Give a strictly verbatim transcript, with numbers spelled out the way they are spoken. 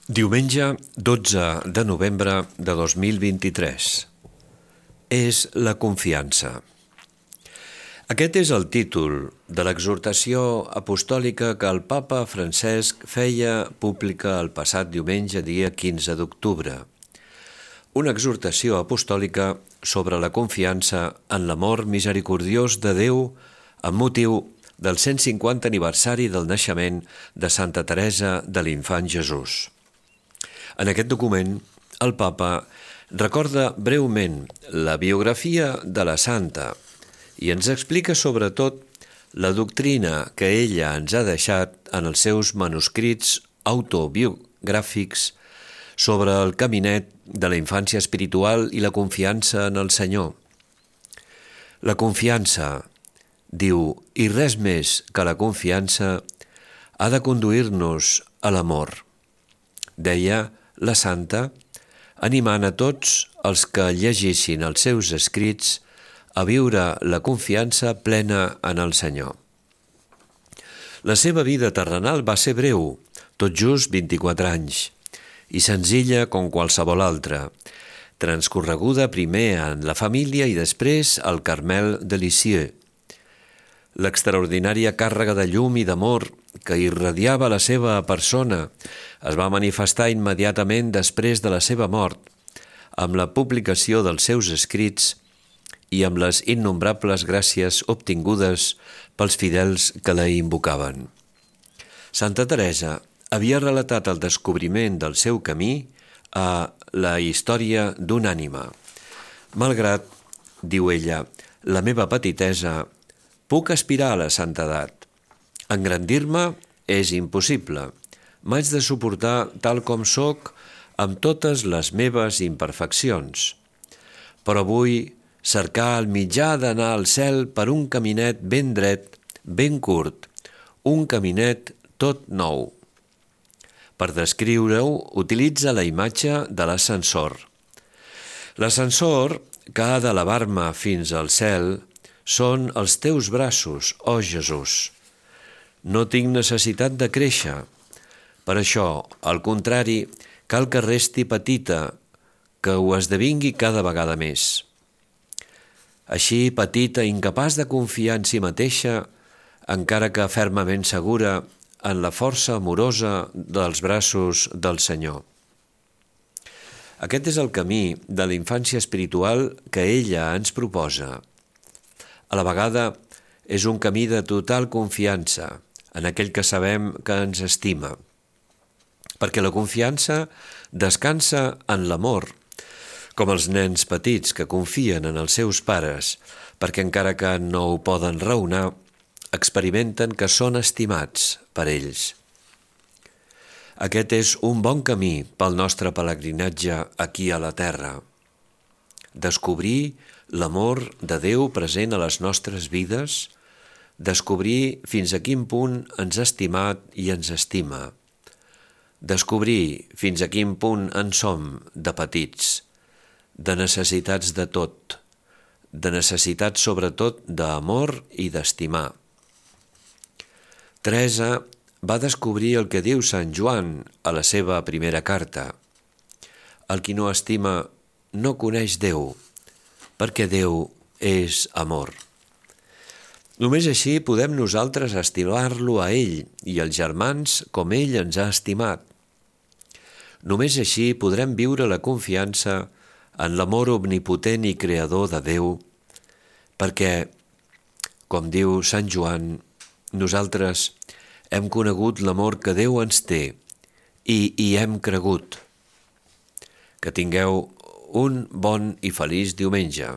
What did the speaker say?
Diumenge dotze de novembre de dos mil vint-i-tres. És la confiança. Aquest és el títol de l'exhortació apostòlica que el papa Francesc feia pública el passat diumenge, dia quinze d'octubre. Una exhortació apostòlica sobre la confiança en l'amor misericordiós de Déu amb motiu del cent cinquanta aniversari del naixement de Santa Teresa de l'Infant Jesús. En aquest document, el papa recorda breument la biografia de la santa i ens explica sobretot la doctrina que ella ens ha deixat en els seus manuscrits autobiogràfics sobre el caminet de la infància espiritual i la confiança en el Senyor. La confiança, diu, i res més que la confiança, ha de conduir-nos a l'amor. Deia la santa, animant a tots els que llegissin els seus escrits a viure la confiança plena en el Senyor. La seva vida terrenal va ser breu, tot just vint-i-quatre anys, i senzilla com qualsevol altra, transcorreguda primer en la família i després al Carmel de Lisieux. L'extraordinària càrrega de llum i d'amor que irradiava la seva persona es va manifestar immediatament després de la seva mort, amb la publicació dels seus escrits i amb les innombrables gràcies obtingudes pels fidels que la invocaven. Santa Teresa havia relatat el descobriment del seu camí a la història d'una ànima. Malgrat, diu ella, la meva petitesa, puc aspirar a la santedat. Engrandir-me és impossible. M'haig de suportar tal com sóc amb totes les meves imperfeccions. Però vull cercar el mitjà d'anar al cel per un caminet ben dret, ben curt, un caminet tot nou. Per descriure-ho, utilitza la imatge de l'ascensor. L'ascensor que ha d'elevar-me fins al cel són els teus braços, oh Jesús. No tinc necessitat de créixer. Per això, al contrari, cal que resti petita, que ho esdevingui cada vegada més. Així, petita, incapaç de confiar en si mateixa, encara que fermament segura en la força amorosa dels braços del Senyor. Aquest és el camí de la infància espiritual que ella ens proposa. A la vegada, és un camí de total confiança en aquell que sabem que ens estima, perquè la confiança descansa en l'amor, com els nens petits que confien en els seus pares, perquè encara que no ho poden raonar, experimenten que són estimats per ells. Aquest és un bon camí pel nostre pelegrinatge aquí a la terra. Descobrir l'amor de Déu present a les nostres vides, descobrir fins a quin punt ens ha estimat i ens estima, descobrir fins a quin punt en som de petits, de necessitats de tot, de necessitats sobretot d'amor i d'estimar. Teresa va descobrir el que diu Sant Joan a la seva primera carta. El qui no estima no coneix Déu, perquè Déu és amor. Només així podem nosaltres estimar-lo a ell i els germans com ell ens ha estimat. Només així podrem viure la confiança en l'amor omnipotent i creador de Déu, perquè, com diu Sant Joan, nosaltres hem conegut l'amor que Déu ens té i hi hem cregut. Que tingueu un bon i feliç diumenge.